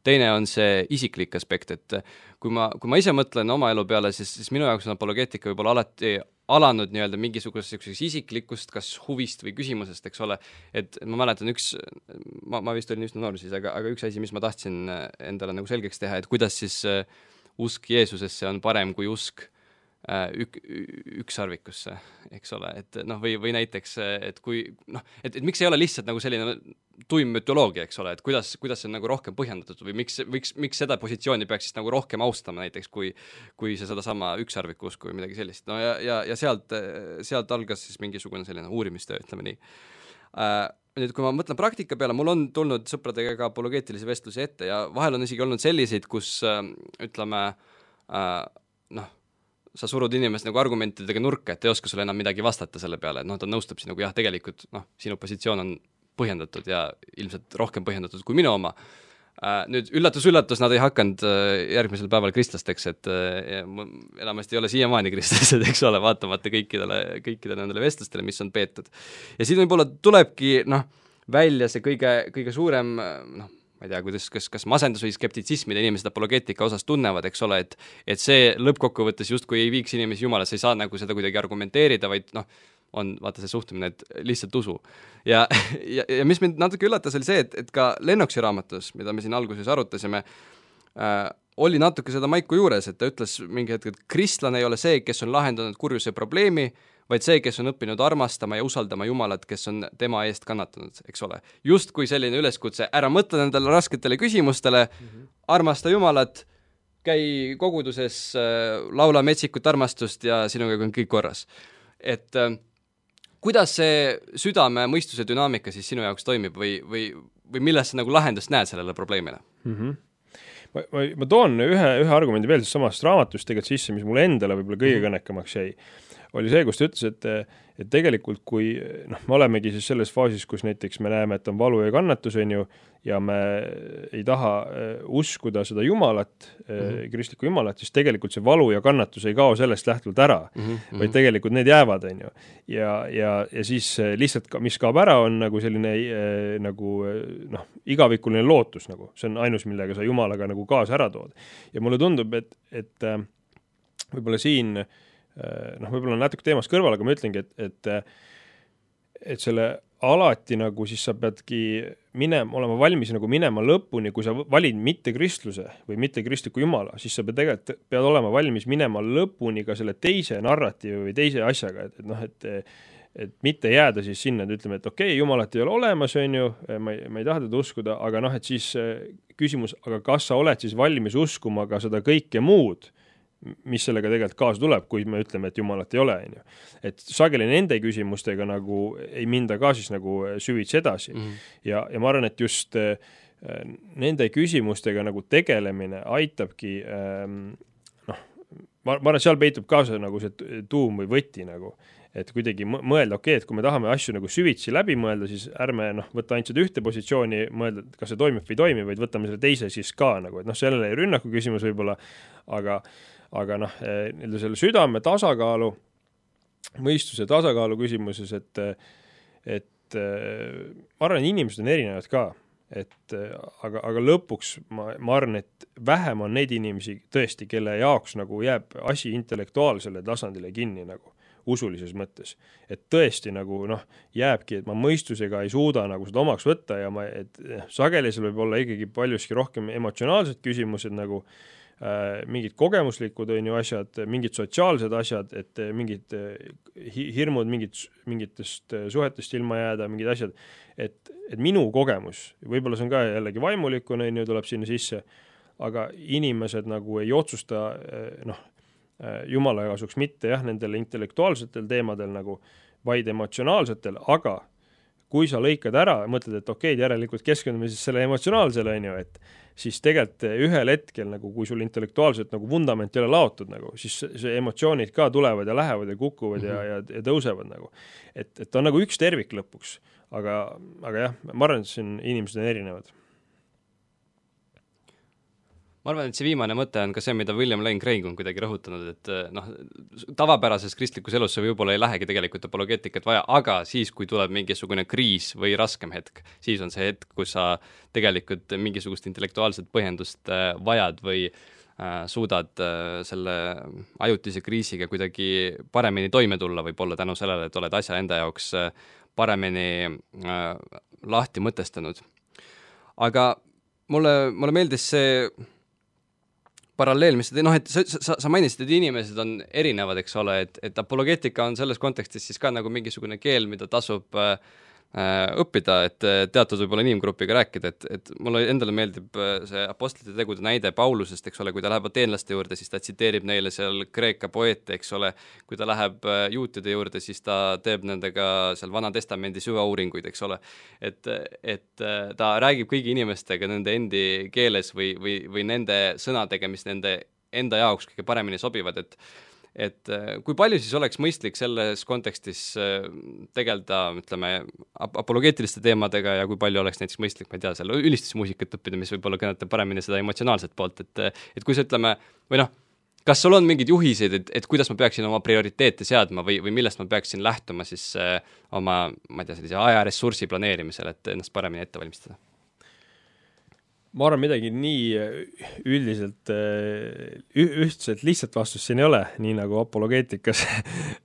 teine on see isiklik aspekt, et kui ma ise mõtlen oma elu peale, siis minu jaoks on apologeetika võib-olla alati alanud nii-öelda mingisuguseks isiklikust, kas huvist või küsimusest, eks ole, et ma mäletan ma vist olin üsna noor siis, aga üks asi, mis ma tahtsin endale nagu selgeks teha, et kuidas siis usk Jeesusesse on parem kui usk ükssarvikusse, eks ole, et noh, või näiteks, et kui noh, et miks ei ole lihtsalt nagu selline tuim mütoloogia, eks ole, et kuidas see on nagu rohkem põhjendatud või miks seda positsiooni peaks siis nagu rohkem austama näiteks, kui see sedasama ükssarviku usku või midagi sellist, no ja sealt algas siis mingisugune selline uurimistöö, ütleme nii. Nüüd, kui ma mõtlen praktika peale, mul on tulnud sõpradega ka apologeetilisi vestlusi ette ja vahel on isegi olnud selliseid, kus ütleme noh, sa surud inimest nagu argumentidega nurka, et ei oska sulle enam midagi vastata selle peale, et noh, ta nõustub sinuga, jah, tegelikult noh, sinu positsioon on põhjendatud ja ilmselt rohkem põhjendatud kui minu oma. Nüüd üllatus, nad ei hakanud järgmisel päeval kristlasteks, et enamasti ei ole siiamaani kristlased, eks ole, vaatamata kõikidele nendele vestlustele, mis on peetud. Ja siin võib-olla tulebki noh, välja see kõige suurem noh, ma ei tea, kas masendus või skeptitsism, mida inimesed apologeetika osas tunnevad, eks ole, et see lõppkokkuvõttes justkui ei viiks inimesi jumalasse, ei saa nagu seda kuidagi argumenteerida, vaid noh, on vaata see suhtumine, et lihtsalt usu. Ja mis mind natuke üllatas, oli see, et ka Lennoxi raamatus, mida me siin alguses arutasime, oli natuke seda maiku juures, et ta ütles mingi hetk, et kristlane ei ole see, kes on lahendanud kurjuse probleemi, vaid see, kes on õppinud armastama ja usaldama Jumalat, kes on tema eest kannatanud, eks ole. Just kui selline üleskutse, ära mõtle nendele rasketele küsimustele, armasta Jumalat, käi koguduses, laula metsikut armastust ja sinuga on kõik korras. Et kuidas see südame mõistuse dünaamika siis sinu jaoks toimib või milles sa nagu lahendust näed sellele probleemile? Ma toon ühe argumendi veel samast raamatust tegelikult sisse, mis mulle endale võib-olla kõige kõnekamaks jäi, oli see, kus ta ütles, et tegelikult kui noh, me olemegi siis selles faasis, kus näiteks me näeme, et on valu ja kannatus, on ju, ja me ei taha uskuda seda Jumalat, kristlikku Jumalat, siis tegelikult see valu ja kannatus ei kao sellest lähtuvalt ära, vaid tegelikult need jäävad, on ju. Ja siis lihtsalt, mis kaob ära, on nagu selline nagu noh, igavikuline lootus nagu, see on ainus, millega sa Jumalaga nagu kaasa ära tood. Ja mulle tundub, et võib-olla siin noh, võib-olla on natuke teemast kõrval, aga ma ütlengi, et selle alati nagu siis sa peadki olema valmis nagu minema lõpuni, kui sa valid mitte kristluse või mitte kristliku Jumala, siis sa pead olema valmis minema lõpuni ka selle teise narratiivi või teise asjaga, et noh, et mitte jääda siis sinna, et ütleme, et okei, Jumalat ei ole olemas, on ju, ma ei taha teda uskuda, aga noh, et siis küsimus, aga kas sa oled siis valmis uskuma ka seda kõike muud, mis sellega tegelikult kaasa tuleb, kui me ütleme, et Jumalat ei ole, on ju. Et sageli nende küsimustega nagu ei minda ka siis nagu süvitsi edasi. Ja ma arvan, et just nende küsimustega nagu tegelemine aitabki noh, ma arvan, et seal peitub kaasa nagu see tuum või võti nagu, et kuidagi mõelda, okei, et kui me tahame asju nagu süvitsi läbi mõelda, siis ärme noh, võtta ainult seda ühte positsiooni, mõelda, kas see toimib või ei toimi, vaid võtame selle teise siis ka nagu, et noh, sellele ei rünnaku küsimus võib-olla, aga noh, selle südame tasakaalu, mõistuse tasakaalu küsimuses, et ma arvan, inimesed on erinevad ka, aga lõpuks ma arvan, et vähem on neid inimesi tõesti, kelle jaoks nagu jääb asi intellektuaalsele tasandile kinni nagu usulises mõttes. Et tõesti nagu noh, jääbki, et ma mõistusega ei suuda nagu seda omaks võtta ja sageli seal võib olla ikkagi paljuski rohkem emotsionaalsed küsimused nagu mingid kogemuslikud on ju asjad, mingid sotsiaalsed asjad, et mingid hirmud mingitest suhetest ilma jääda, mingid asjad, et minu kogemus, võib-olla see on ka jällegi vaimulikune, tuleb sinna sisse, aga inimesed nagu ei otsusta noh, Jumala kasuks mitte jah, nendel intellektuaalsetel teemadel nagu, vaid emotsionaalsetel, aga kui sa lõikad ära ja mõtled, et okei, järelikult keskendume siis selle emotsionaalsele, on ju, et siis tegelikult ühel hetkel, nagu, kui sul intellektuaalselt nagu vundament ei ole laotud, nagu, siis see emotsioonid ka tulevad ja lähevad ja kukuvad ja tõusevad. Nagu. Et on nagu üks tervik lõpuks, aga jah, ma arvan, et siin inimesed on erinevad. ma arvan, et see viimane mõte on ka see, mida William Lane Craig on kuidagi rõhutanud, et noh, tavapärases kristlikus elus see võib-olla ei lähegi tegelikult apologeetikat vaja, aga siis, kui tuleb mingisugune kriis või raskem hetk, siis on see hetk, kus sa tegelikult mingisugust intellektuaalset põhjendust vajad või suudad selle ajutise kriisiga kuidagi paremini toime tulla, võib-olla tänu sellele, et oled asja enda jaoks paremini lahti mõtestanud. Aga mulle meeldis see paralleel, mis et sa mainisid, et inimesed on erinevad, eks ole, et apologeetika on selles kontekstis siis ka nagu mingisugune keel, mida tasub õppida, et teatud võib-olla inimgrupiga rääkida, et mulle endale meeldib see apostlite tegude näide Paulusest, eks ole, kui ta läheb ateenlaste juurde, siis ta tsiteerib neile seal Kreeka poeete, eks ole, kui ta läheb juutide juurde, siis ta teeb nendega seal Vana Testamendi süvauuringuid, eks ole, et ta räägib kõigi inimestega nende endi keeles või nende sõnadega, mis nende enda jaoks kõige paremini sobivad, et kui palju siis oleks mõistlik selles kontekstis tegeleda, ütleme, apologeetiliste teemadega ja kui palju oleks näiteks mõistlik, ma ei tea, seal ülistusmuusikat õppida, mis võib-olla kõnetab paremini seda emotsionaalset poolt, et kui sa ütleme, või noh, kas sul on mingid juhiseid, et kuidas ma peaksin oma prioriteete seadma või millest ma peaksin lähtuma siis oma, ma ei tea, sellise ajaressursi planeerimisel, et ennast paremini ette valmistada? Ma arvan, midagi nii üldiselt ühtselt lihtsalt vastust siin ei ole, nii nagu apologeetikas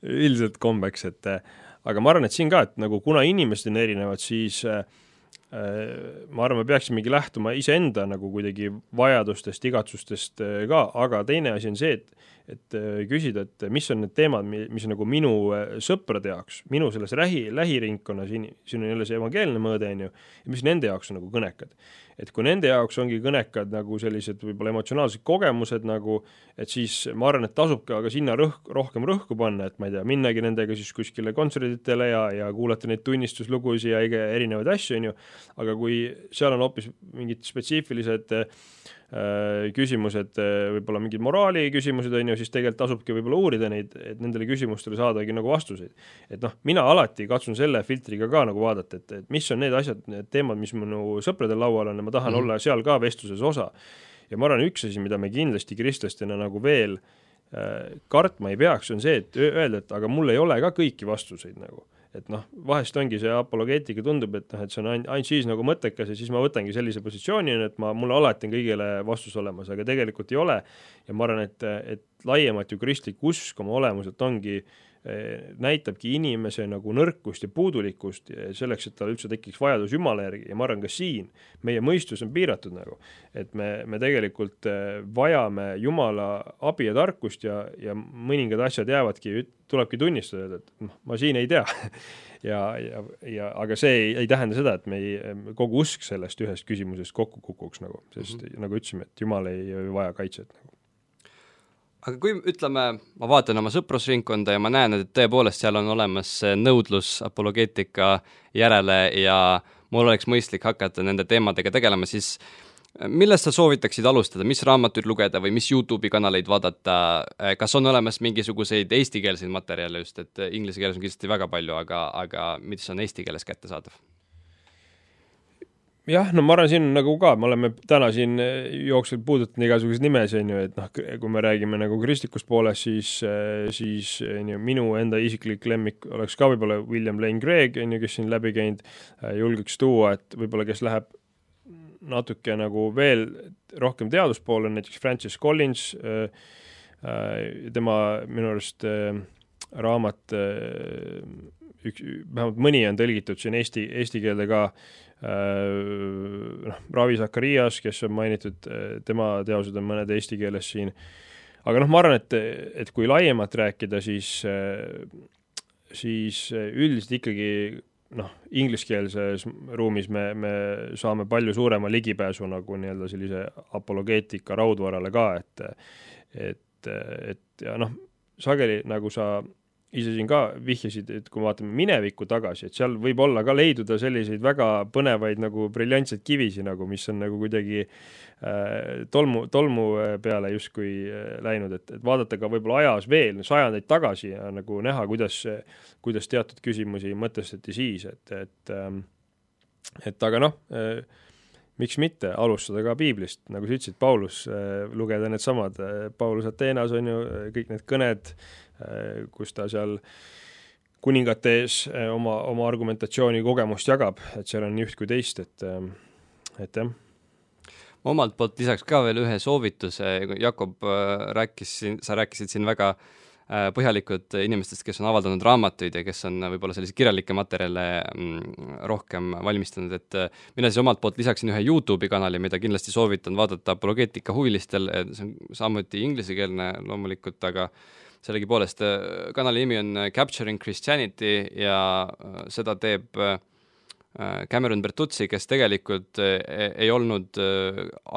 üldiselt kombeks, et aga ma arvan, et siin ka, et nagu kuna inimesed on erinevad, siis ma arvan, me peaksimegi lähtuma iseenda nagu kuidagi vajadustest, igatsustest ka, aga teine asi on see, et küsida, et mis on need teemad, mis on nagu minu sõprade jaoks, minu selles lähiringkonnas, siin on jälle see evangeelne mõõde, on ju, ja mis nende jaoks on nagu kõnekad. Et kui nende jaoks ongi kõnekad nagu sellised võib-olla emotsionaalsed kogemused nagu, et siis ma arvan, et tasub ka sinna rohkem rõhku panna, et ma ei tea, minnagi nendega siis kuskile kontserditele ja kuulata neid tunnistuslugusi ja erinevaid asju, on ju, aga kui seal on hoopis mingid spetsiifilised küsimused, võib-olla mingid moraali küsimused, on ju, siis tegelikult tasubki võib-olla uurida neid, et nendele küsimustele saadagi nagu vastuseid. Et noh, mina alati katsun selle filtriga ka nagu vaadata, et mis on need asjad, need teemad, mis minu sõpradel laual on ja ma tahan olla seal ka vestluses osa. Ja ma arvan, üks asi, mida me kindlasti kristlastena nagu veel kartma ei peaks, on see, et öelda, et aga mul ei ole ka kõiki vastuseid nagu. Et noh, vahest ongi see apologeetika tundub, et noh, et see on ainult siis nagu mõttekas ja siis ma võtangi sellise positsiooni, et mul alati on kõigile vastus olemas, aga tegelikult ei ole. Ja ma arvan, et laiemalt ju kristlik usk oma olemuselt ongi, näitabki inimese nagu nõrkust ja puudulikkust selleks, et tal üldse tekiks vajadus Jumala järgi ja ma arvan ka siin, meie mõistus on piiratud nagu, et me tegelikult vajame Jumala abi ja tarkust ja mõningad asjad jäävadki, tulebki tunnistada, et ma siin ei tea aga see ei tähenda seda, et kogu usk sellest ühest küsimusest kokku kukuks nagu, sest nagu ütlesime, et Jumal ei vaja kaitset nagu. Aga kui ütleme, ma vaatan oma sõprusringkonda ja ma näen, et tõepoolest seal on olemas nõudlus apologeetika järele ja mul oleks mõistlik hakata nende teemadega tegelema, siis millest sa soovitaksid alustada, mis raamatuid lugeda või mis YouTube'i kanaleid vaadata, kas on olemas mingisuguseid eestikeelseid materjale just, et inglise keeles on kindlasti väga palju, aga mis on eesti keeles kättesaadav? Jah, no ma arvan, siin nagu ka, me oleme täna siin jooksul puudutanud igasuguseid nimesi, on ju, et noh, kui me räägime nagu kristlikust poolest, siis on ju, minu enda isiklik lemmik oleks ka võib-olla William Lane Craig, on ju, kes siin läbi käinud, julgeks tuua, et võib-olla kes läheb natuke nagu veel rohkem teaduspoole, näiteks Francis Collins, tema minu arust raamat, vähemalt mõni on tõlgitud siin eesti keelde ka, Ravi Zacharias, kes on mainitud, tema teosed on mõned eesti keeles siin, aga noh, ma arvan, et kui laiemalt rääkida, siis üldiselt ikkagi ingliskeelses ruumis me saame palju suurema ligipääsu nagu nii-öelda sellise apologeetika raudvarale ka, et ja noh, sageli nagu sa ise siin ka vihjasid, et kui vaatame minevikku tagasi, et seal võib olla ka leiduda selliseid väga põnevaid nagu briljantseid kivisi nagu, mis on nagu kuidagi tolmu peale justkui läinud, et vaadata ka võib-olla ajas veel sajandeid tagasi ja nagu näha, kuidas teatud küsimusi mõtestati siis, et aga noh, miks mitte alustada ka piiblist, nagu sa ütlesid, Paulus, lugeda need samad, Paulus Ateenas on ju kõik need kõned, kus ta seal kuningate ees oma argumentatsiooni kogemust jagab, et seal on nii üht kui teist, et jah. Ma omalt poolt lisaks ka veel ühe soovituse, Jakob, sa rääkisid siin väga põhjalikud inimestest, kes on avaldanud raamatuid ja kes on võib-olla selliseid kirjalikke materjale rohkem valmistanud, et mina siis omalt poolt lisaksin ühe YouTube'i kanali, mida kindlasti soovitan vaadata apologeetika huvilistel, see on samuti inglisekeelne loomulikult, aga sellegipoolest kanali nimi on Capturing Christianity ja seda teeb Cameron Bertuzzi, kes tegelikult ei olnud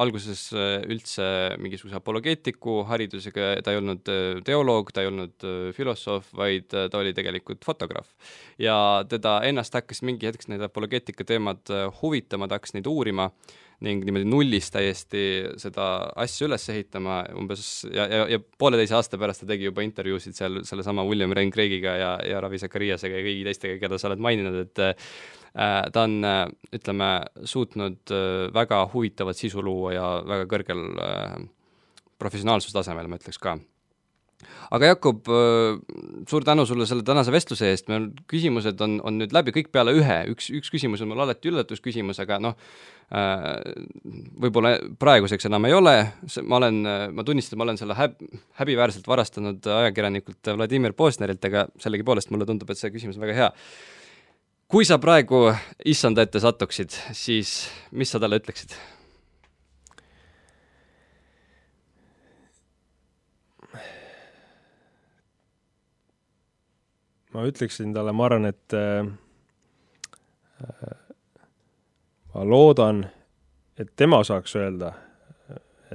alguses üldse mingisuguse apologeetiku haridusega, ta ei olnud teoloog, ta ei olnud filosoof, vaid ta oli tegelikult fotograaf. Ja teda ennast hakkas mingi hetkes need apologeetika teemad huvitama, ta hakkas neid uurima ning niimoodi nullist täiesti seda asja üles ehitama umbes ja 1,5 aasta pärast ta tegi juba intervjuusid seal selle sama William Lane Craigiga ja Ravi Zachariasega ja kõigi teistega, keda sa oled maininud, et ta on, ütleme, suutnud väga huvitavat sisu luua ja väga kõrgel professionaalsustasemel, ma ütleks ka. Aga Jakob, suur tänu sulle selle tänase vestluse eest, meil küsimused on nüüd läbi kõik peale üks küsimus on mul alati üllatusküsimus, aga võib-olla praeguseks enam ei ole, ma tunnistan, ma olen selle häbiväärselt varastanud ajakirjanikult Vladimir Posnerilt, aga sellegipoolest mulle tundub, et see küsimus on väga hea. Kui sa praegu issanda ette satuksid, siis mis sa talle ütleksid? Ma ütleksin talle, ma arvan, et ma loodan, et tema saaks öelda,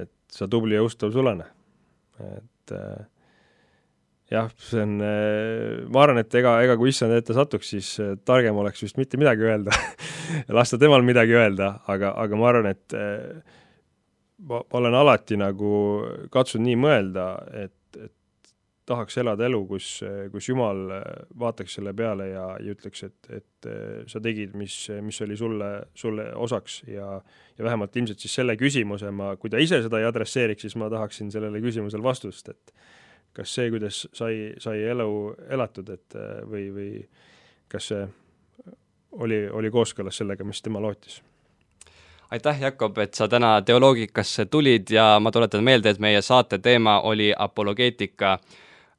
et sa tubli ja ustav sulane. Et jah, see on, ma arvan, et ega kui issand ette satuks, siis targem oleks vist mitte midagi öelda, lasta temal midagi öelda, aga ma arvan, et ma olen alati nagu katsunud nii mõelda, et tahaks elada elu, kus Jumal vaataks selle peale ja ütleks, et sa tegid, mis oli sulle osaks ja vähemalt ilmselt siis selle küsimuse kui ta ise seda ei adresseeriks, siis ma tahaksin sellele küsimusel vastust, et kas see, kuidas sai elu elatud, et või kas see oli kooskõlas sellega, mis tema lootis. Aitäh, Jakob, et sa täna teoloogikasse tulid ja ma tuletan meelde, et meie saate teema oli apologeetika.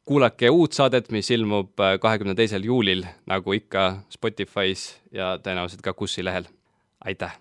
Kuulake uut saadet, mis ilmub 22. juulil, nagu ikka Spotify's ja tõenäoliselt ka Kussi lehel. Aitäh!